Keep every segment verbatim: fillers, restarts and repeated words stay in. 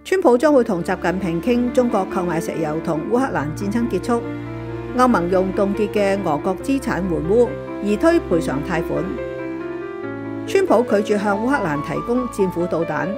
川普將會同習近平傾中國購買石油同烏克蘭戰爭結束。歐盟用凍結嘅俄國資產援烏，而推賠償貸款。川普拒絕向烏克蘭提供戰斧導彈。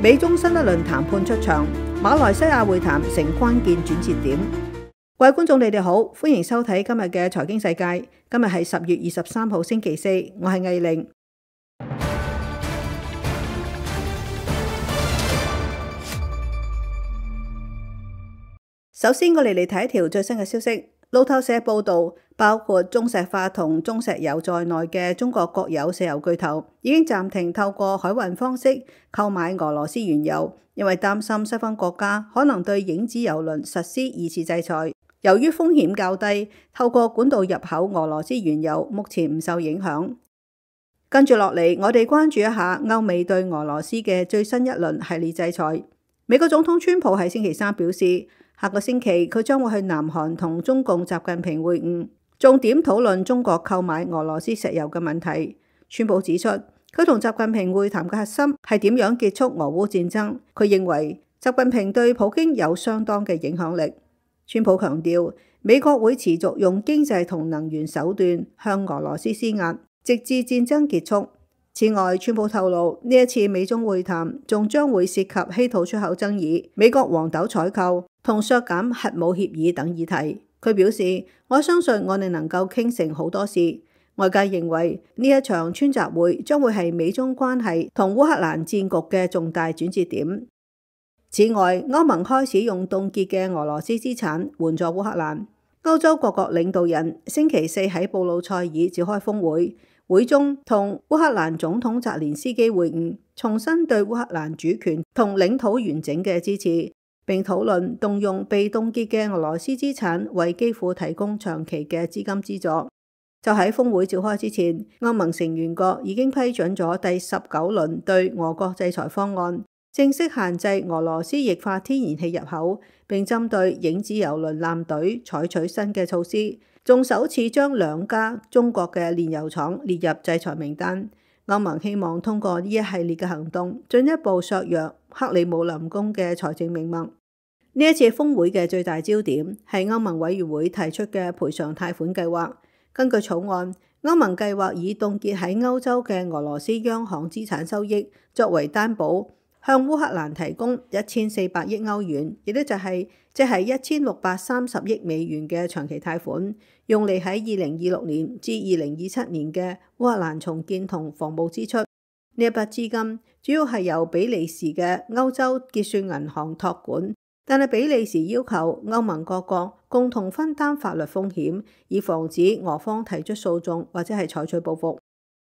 美中新一輪談判出場，馬來西亞會談成關鍵轉折點。各位觀眾，你哋好，歡迎收睇今日嘅財經世界。今日係十月二十三號星期四，我係藝玲。首先，我哋嚟睇一條最新嘅消息。路透社報道，包括中石化同中石油在內嘅中國國有石油巨頭已經暫停透過海運方式購買俄羅斯原油，因為擔心西方國家可能對影子油輪實施二次制裁。由於風險較低，透過管道入口俄羅斯原油目前唔受影響。跟住落嚟，我哋關注一下歐美對俄羅斯嘅最新一輪系列制裁。美國總統川普喺星期三表示，下個星期佢將會去南韓同中共習近平會晤，重點討論中國購買俄羅斯石油嘅問題。川普指出，佢同習近平會談嘅核心係點樣結束俄烏戰爭。佢認為習近平對普京有相當嘅影響力。川普強調，美國會持續用經濟同能源手段向俄羅斯施壓，直至戰爭結束。此外，川普透露呢一次美中會談仲將會涉及稀土出口爭議、美國黃豆採購同削減核武協議等議題。佢表示，我相信我哋能夠傾成好多事。外界認為呢一場川習會將會係美中關係同烏克蘭戰局嘅重大轉折點。此外，歐盟開始用凍結嘅俄羅斯資產援助烏克蘭。歐洲各國領導人星期四喺布魯塞爾召開峰會，會中同烏克蘭總統澤連斯基會晤，重申對烏克蘭主權同領土完整嘅支持，並討論動用被凍結嘅俄羅斯資產為基輔提供長期嘅資金資助。就喺峰會召開之前，歐盟成員國已經批准咗第十九輪對俄國制裁方案，正式限制俄羅斯液化天然氣入口，並針對影子油輪艦隊採取新嘅措施，仲首次將兩家中國嘅煉油廠列入制裁名單。歐盟希望通過呢一系列嘅行動，進一步削弱克里姆林宮嘅財政命脈。呢一次峰會嘅最大焦點係歐盟委員會提出嘅賠償貸款計劃。根據草案，歐盟計劃以凍結喺歐洲嘅俄羅斯央行資產收益作為擔保，向烏克蘭提供一千四百億歐元，亦都就係即係一千六百三十億美元嘅長期貸款，用嚟喺二零二六年至二零二七年嘅烏克蘭重建同防務支出。呢一筆資金主要係由比利時嘅歐洲結算銀行託管，但係比利時要求歐盟各國共同分擔法律風險，以防止俄方提出訴訟或者係採取報復。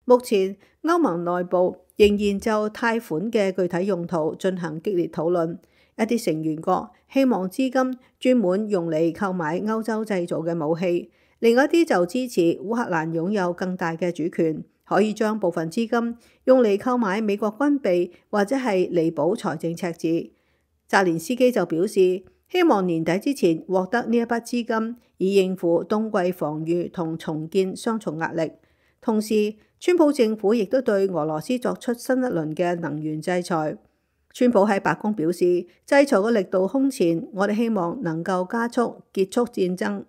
目前歐盟內部仍然就貸款嘅具體用途進行激烈討論，一啲成員國希望資金專門用嚟購買歐洲製造嘅武器，另一啲就支持烏克蘭擁有更大嘅主權，可以將部分資金用嚟購買美國軍備或者係彌補財政赤字。澤連斯基就表示，希望年底之前獲得呢一筆資金，以應付冬季防禦同重建雙重壓力。同時，川普政府亦都對俄羅斯作出新一輪嘅能源制裁。川普喺白宮表示，制裁嘅力度空前，我哋希望能夠加速結束戰爭。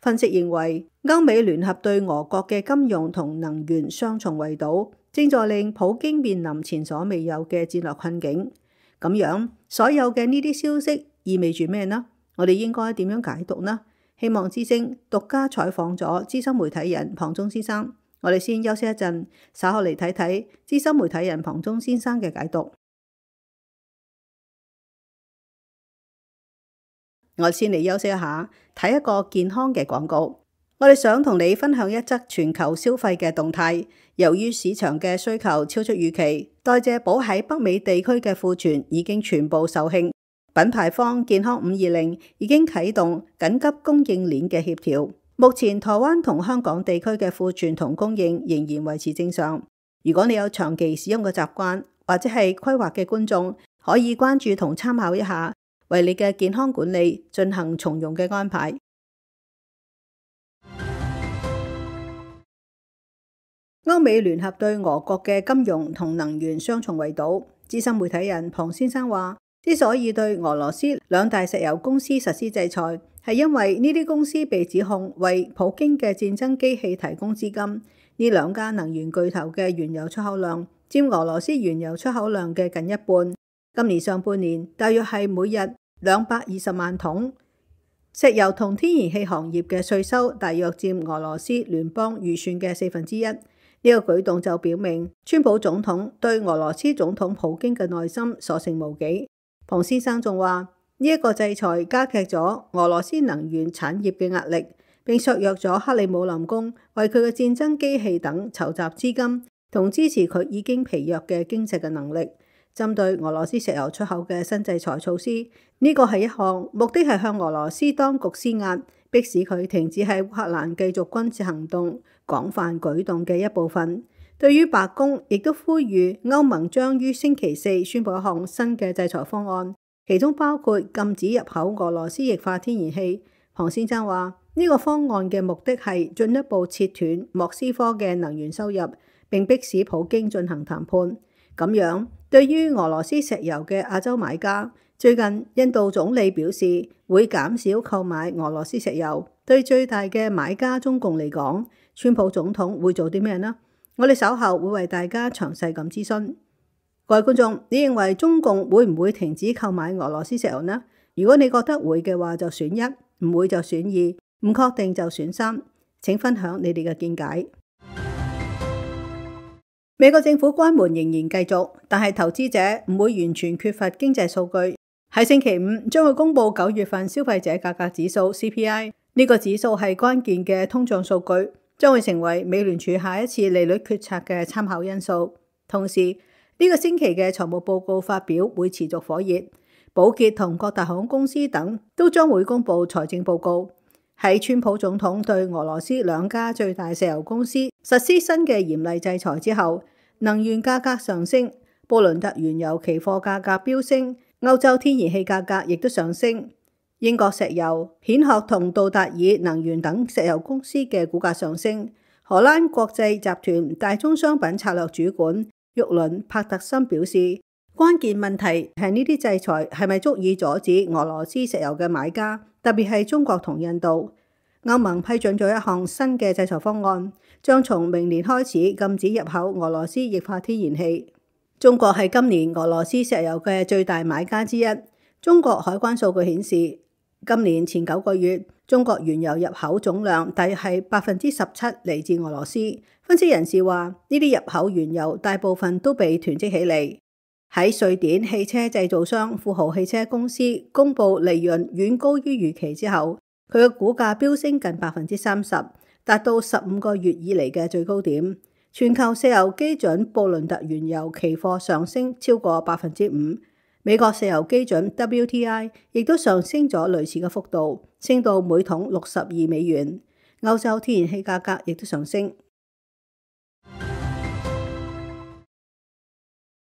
分析認為，歐美聯合對俄國嘅金融同能源雙重圍堵，正在令普京面臨前所未有嘅戰略困境。咁樣，所有嘅呢啲消息意味住咩呢？我哋應該點樣解讀呢？希望之聲獨家採訪咗資深媒體人龐中先生。我哋先休息一陣，稍後嚟睇睇資深媒體人龐中先生嘅解讀。我先嚟休息一下，睇一個健康嘅廣告。我哋想同你分享一則全球消費嘅動態。由於市場嘅需求超出預期，代謝寶喺北美地區嘅庫存已經全部售罄。品牌方健康五二零已經啟動緊急供應鏈嘅協調。目前台灣同香港地區嘅庫存同供應仍然維持正常。如果你有長期使用嘅習慣或者係規劃嘅觀眾，可以關注同參考一下，為你嘅健康管理進行從容嘅安排。歐美聯合對俄國嘅金融同能源雙重圍堵，資深媒體人龐先生話，之所以對俄羅斯兩大石油公司實施制裁，係因為呢啲公司被指控為普京嘅戰爭機器提供資金。呢兩家能源巨頭嘅原油出口量佔俄羅斯原油出口量嘅近一半。今年上半年大約係每日兩百二十萬桶。石油同天然氣行業嘅稅收大約佔俄羅斯聯邦預算嘅四分之一。呢個舉動就表明，川普總統對俄羅斯總統普京嘅內心所剩無幾。龐先生仲話，呢一個制裁加劇咗俄羅斯能源產業嘅壓力，並削弱咗克里姆林宮為佢嘅戰爭機器等籌集資金同支持佢已經疲弱嘅經濟嘅能力。針對俄羅斯石油出口嘅新制裁措施，呢個係一項目的係向俄羅斯當局施壓，迫使佢停止喺烏克蘭繼續軍事行動廣泛舉動嘅一部分。對於白宮亦都呼籲歐盟將於星期四宣布一項新嘅制裁方案，其中包括禁止入口俄羅斯液化天然氣。龐先生話，呢個方案嘅目的係進一步切斷莫斯科嘅能源收入，並迫使普京進行談判。咁樣，對於俄羅斯石油嘅亞洲買家，最近印度總理表示會減少購買俄羅斯石油。對最大嘅買家中共嚟講，川普總統會做啲咩呢？我哋稍後會為大家詳細咁諮詢。各位觀眾，你認為中共會唔會停止購買俄羅斯石油呢？如果你覺得會嘅話，就選一；唔會就選二；唔確定就選三。請分享你哋嘅見解。美國政府關門仍然繼續，但係投資者唔會完全缺乏經濟數據。喺星期五將會公布九月份消費者價格指數 C P I， 呢個指數係關鍵嘅通脹數據，將會成為美聯儲下一次利率決策嘅參考因素。同時，呢個星期嘅財務報告發表會持續火熱，寶潔同各大航空公司等都將會公布財政報告。喺川普總統對俄羅斯兩家最大石油公司實施新嘅嚴厲制裁之後，能源價格上升，布倫特原油期貨價格飆升，歐洲天然氣價格亦都上升。英國石油、蜆殼同道達爾能源等石油公司嘅股價上升。荷蘭國際集團大宗商品策略主管沃倫帕特森表示，關鍵問題係呢啲制裁係咪足以阻止俄羅斯石油嘅買家，特別係中國同印度。歐盟批准咗一項新嘅制裁方案，將從明年開始禁止入口俄羅斯液化天然氣。中國係今年俄羅斯石油嘅最大買家之一。中國海關數據顯示，今年前九個月，中國原油入口總量大約係百分之十七嚟自俄羅斯。分析人士話，呢啲入口原油大部分都被囤積起嚟。喺瑞典汽車製造商富豪汽車公司公布利潤遠高於預期之後，佢嘅股價飆升近百分之三十，達到十五個月以嚟嘅最高點。全球石油基準布倫特原油期貨上升超過百分之五，美國石油基準 W T I 亦都上升咗類似嘅幅度，升到每桶六十二美元。歐洲天然氣價格亦都上升。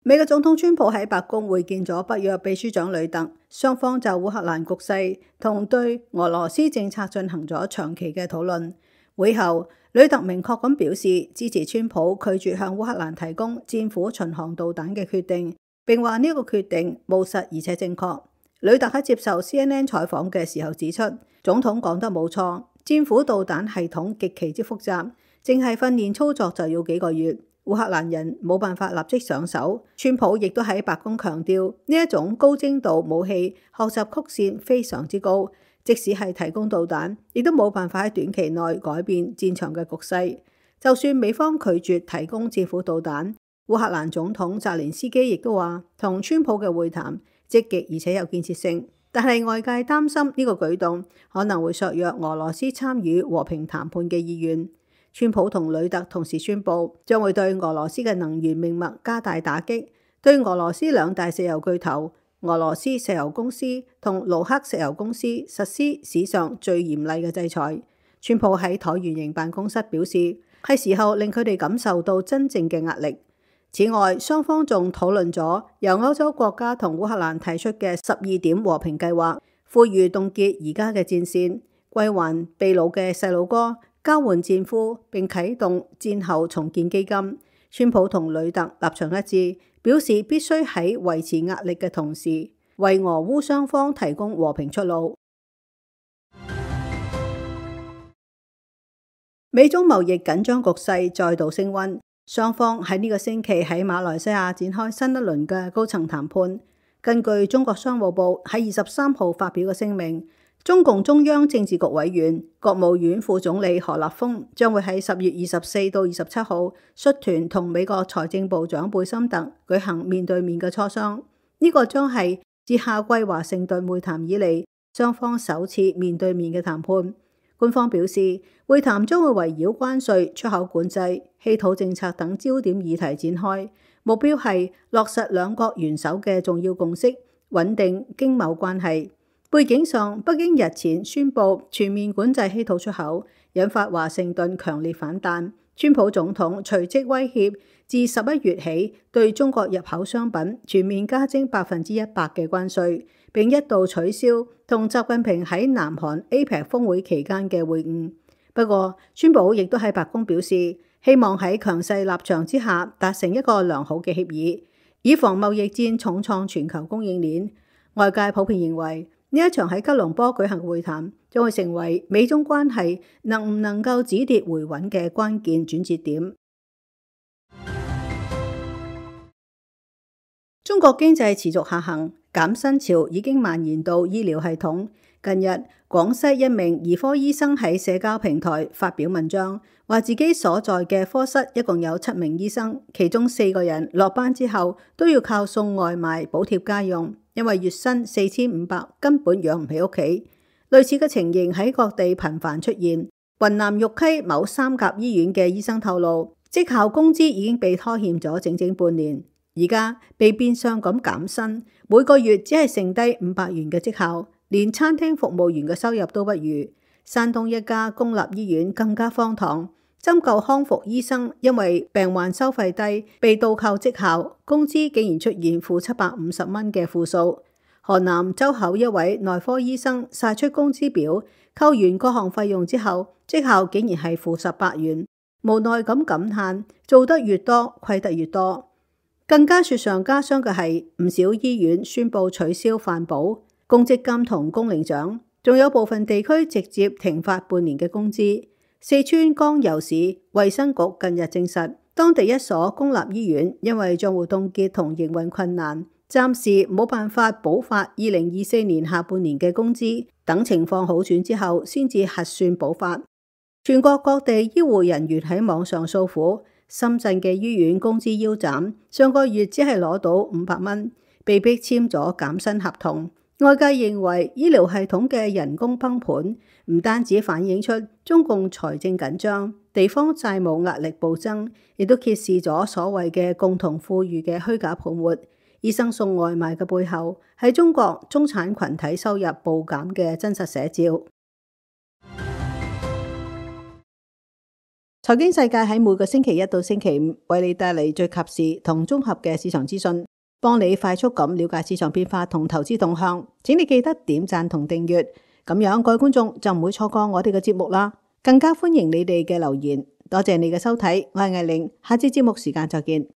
美國總統川普喺白宮會見咗北約秘書長呂特，雙方就烏克蘭局勢同對俄羅斯政策進行咗長期嘅討論。會後，呂特明確咁表示支持川普拒絕向烏克蘭提供戰斧巡航導彈嘅決定，並話呢個決定務實而且正確。呂特喺接受 C N N 採訪嘅時候指出，總統講得冇錯，戰斧導彈系統極其之複雜，淨係訓練操作就要幾個月。烏克蘭人冇辦法立即上手。川普亦都喺白宮強調，呢一種高精度武器學習曲線非常之高，即使係提供導彈，亦都冇辦法喺短期內改變戰場嘅局勢。就算美方拒絕提供戰斧導彈，烏克蘭總統澤連斯基亦都話，同川普嘅會談積極而且有建設性，但係外界擔心呢個舉動可能會削弱俄羅斯參與和平談判嘅意願。川普同呂特同時宣布，將會對俄羅斯嘅能源命脈加大打擊，對俄羅斯兩大石油巨頭俄羅斯石油公司同盧克石油公司實施史上最嚴厲嘅制裁。川普喺橢圓形辦公室表示，係時候令佢哋感受到真正嘅壓力。此外，雙方仲討論咗由歐洲國家同烏克蘭提出嘅十二點和平計劃，呼籲凍結而家嘅戰線，歸還被擄嘅細路哥，交換戰俘，並啟動戰後重建基金。川普同呂特立場一致，表示必須喺維持壓力嘅同時，為俄烏雙方提供和平出路。美中貿易緊張局勢再度升溫，雙方喺呢個星期喺馬來西亞展開新一輪嘅高層談判。根據中國商務部喺二十三號發表嘅聲明，中共中央政治局委員、國務院副總理何立峰將會喺十月二十四到二十七號率團同美國財政部長貝森特舉行面對面嘅磋商。呢、這個將係自夏季華盛頓會談以嚟雙方首次面對面嘅談判。官方表示，會談將會圍繞關稅、出口管制、稀土政策等焦點議題展開，目標係落實兩國元首嘅重要共識，穩定經貿關係。背景上，北京日前宣布全面管制稀土出口，引發華盛頓強烈反彈。川普總統隨即威脅，自十一月起對中國入口商品全面加徵百分之一百嘅關稅，並一度取消同習近平喺南韓 A P E C 峰會期間嘅會晤。不過，川普亦都喺白宮表示，希望喺強勢立場之下達成一個良好嘅協議，以防貿易戰重創全球供應鏈。外界普遍認為，呢一場喺吉隆坡舉行嘅會談將會成為美中關係能唔能夠止跌回穩嘅關鍵轉折點。中國經濟持續下行，減薪潮已經蔓延到醫療系統。近日，廣西一名兒科醫生喺社交平台發表文章，話自己所在嘅科室一共有七名醫生，其中四個人落班之後都要靠送外賣補貼家用，因為月薪四千五百根本養唔起屋企。類似嘅情形喺各地頻繁出現。雲南玉溪某三甲醫院嘅醫生透露，績效工資已經被拖欠咗整整半年。而家被變相咁減薪，每個月只係剩低五百元嘅績效，連餐廳服務員嘅收入都不如。山東一家公立醫院更加荒唐，針灸康復醫生因為病患收費低，被倒扣績效，工資竟然出現負七百五十蚊嘅負數。河南周口一位內科醫生晒出工資表，扣完各項費用之後，績效竟然係負十八元，無奈咁感嘆，做得越多，虧得越多。更加雪上加霜嘅係，唔少醫院宣布取消飯保、公積金同工齡獎，仲有部分地區直接停發半年嘅工資。四川江油市衛生局近日證實，當地一所公立醫院因為賬戶凍結同營運困難，暫時冇辦法補發二零二四年下半年嘅工資，等情況好轉之後先至核算補發。全國各地醫護人員喺網上訴苦。深圳嘅醫院工資腰斬，上個月只係攞到五百蚊，被迫簽咗減薪合同。外界認為醫療系統嘅人工崩盤，唔單止反映出中共財政緊張、地方債務壓力暴增，亦都揭示咗所謂嘅共同富裕嘅虛假泡沫。醫生送外賣嘅背後，係中國中產群體收入暴減嘅真實寫照。財經世界喺每個星期一到星期五為你帶嚟最及時同綜合嘅市場資訊，幫你快速咁了解市場變化同投資動向。請你記得點讚同訂閱，咁樣各位觀眾就唔會錯過我哋嘅節目啦。更加歡迎你哋嘅留言。多謝你嘅收睇，我係艾玲，下次節目時間再見。